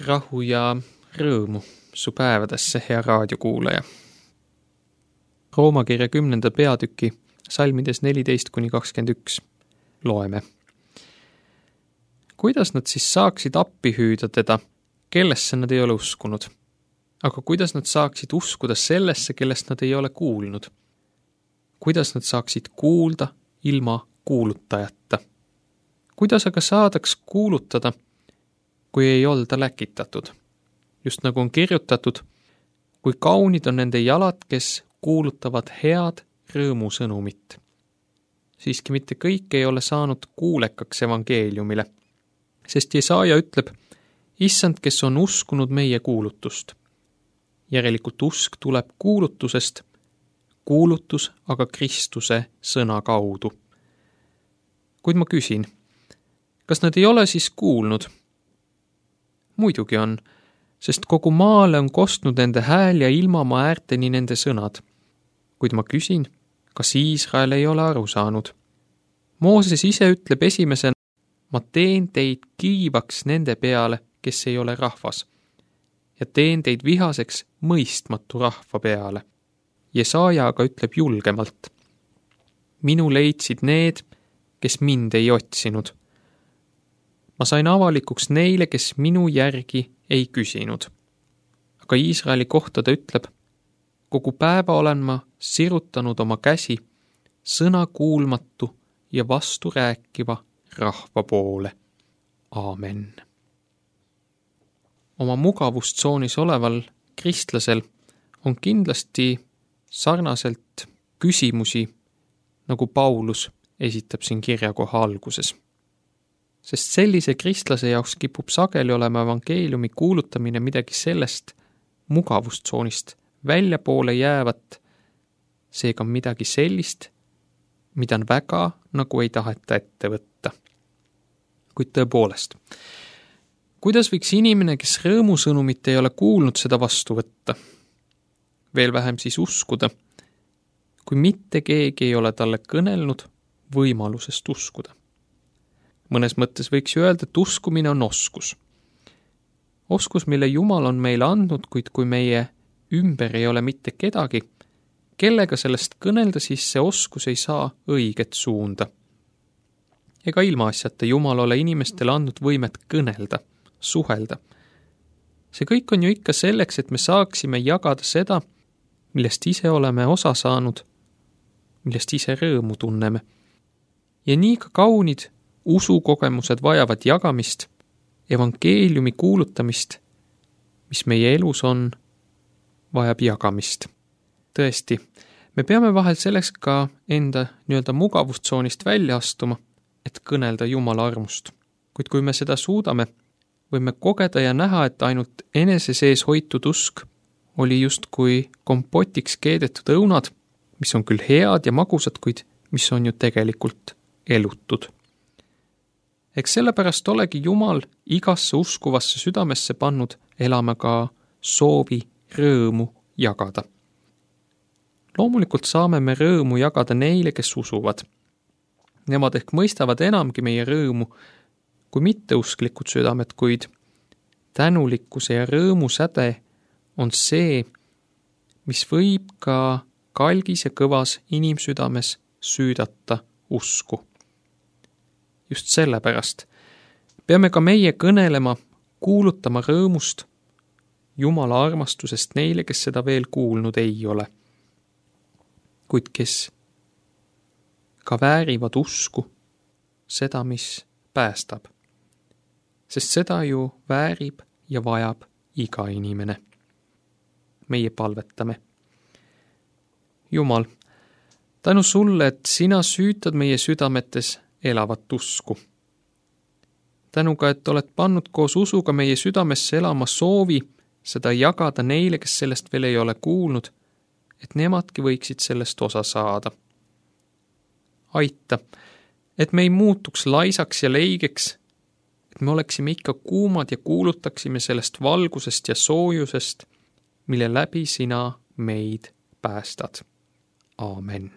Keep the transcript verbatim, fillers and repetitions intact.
rahu ja rõõmu su päevadesse, hea raadiokuulaja. Rooma kirja kümnenda peatüki salmides neliteist kuni kakskümmend üks loeme. Kuidas nad siis saaksid appi hüüda teda, kellesse nad ei ole uskunud? Aga kuidas nad saaksid uskuda sellesse, kellest nad ei ole kuulnud? Kuidas nad saaksid kuulda ilma kuulutajata? Kuidas aga saadaks kuulutada, kui ei olda läkitatud? Just nagu on kirjutatud, kui kaunid on nende jalad, kes kuulutavad head rõõmusõnumit. Siiski mitte kõik ei ole saanud kuulekaks evangeeliumile, sest Jesaja ütleb, issand, kes on uskunud meie kuulutust. Järelikult usk tuleb kuulutusest, kuulutus aga Kristuse sõna kaudu. Kuid ma küsin, kas nad ei ole siis kuulnud? Muidugi on, sest kogu maale on kostnud nende hääl ja ilmamaa äärteni nende sõnad. Kuid ma küsin, kas Iisrael ei ole aru saanud? Mooses ise ütleb esimesena, ma teen teid kiivaks nende peale, kes ei ole rahvas, ja teen teid vihaseks mõistmatu rahva peale. Jesaja aga ütleb julgemalt, minu leidsid need, kes mind ei otsinud. Ma sain avalikuks neile, kes minu järgi ei küsinud. Aga Iisraeli kohta ta ütleb, kogu päeva olen ma sirutanud oma käsi sõna kuulmatu ja vastu rääkiva rahva poole. Aamen. Oma mugavustsoonis oleval kristlasel on kindlasti sarnaselt küsimusi, nagu Paulus esitab siin kirjakoha alguses. Sest sellise kristlase jaoks kipub sageli olema evangeeliumi kuulutamine midagi sellest mugavustsoonist väljapoole jäävat, seega midagi sellist, mida on väga nagu ei taheta ette võtta. Kuid tõepoolest, kuidas võiks inimene, kes rõõmusõnumit ei ole kuulnud, seda vastu võtta? Veel vähem siis uskuda, kui mitte keegi ei ole talle kõnelnud võimalusest uskuda. Mõnes mõttes võiks ju öelda, et uskumine on oskus. Oskus, mille Jumal on meile andnud, kuid kui meie ümber ei ole mitte kedagi, kellega sellest kõnelda, siis see oskus ei saa õiget suunda. Ega ilmaasjata Jumal ole inimestele andnud võimet kõnelda, suhelda. See kõik on ju ikka selleks, et me saaksime jagada seda, millest ise oleme osa saanud, millest ise rõõmu tunneme. Ja nii ka kaunid usukogemused vajavad jagamist, evangeeliumi kuulutamist, mis meie elus on, vajab jagamist. Tõesti, me peame vahel selleks ka enda nii-öelda mugavustsoonist välja astuma, et kõnelda Jumala armust. Kuid kui me seda suudame, võime kogeda ja näha, et ainult enese sees hoitud usk oli justkui kompotiks keedetud õunad, mis on küll head ja magusad, kuid mis on ju tegelikult elutud. Eks sellepärast olegi Jumal igasse uskuvasse südamesse pannud elama ka soovi rõõmu jagada. Loomulikult saame me rõõmu jagada neile, kes usuvad. Nemad ehk mõistavad enamgi meie rõõmu kui mitteusklikud südamed, kuid tänulikkuse ja rõõmu säde on see, mis võib ka kalgis ja kõvas inimsüdames süüdata usku. Just sellepärast peame ka meie kõnelema, kuulutama rõõmust, Jumala armastusest neile, kes seda veel kuulnud ei ole, kuid kes ka väärivad usku, seda, mis päästab. Sest seda ju väärib ja vajab iga inimene. Meie palvetame. Jumal, tänu sulle, et sina süütad meie südametes elavat usku. Tänu ka, et oled pannud koos usuga meie südamesse elama soovi seda jagada neile, kes sellest veel ei ole kuulnud, et nemadki võiksid sellest osa saada. Aita, et me ei muutuks laisaks ja leigeks, et me oleksime ikka kuumad ja kuulutaksime sellest valgusest ja soojusest, mille läbi sina meid päästad. Aamen.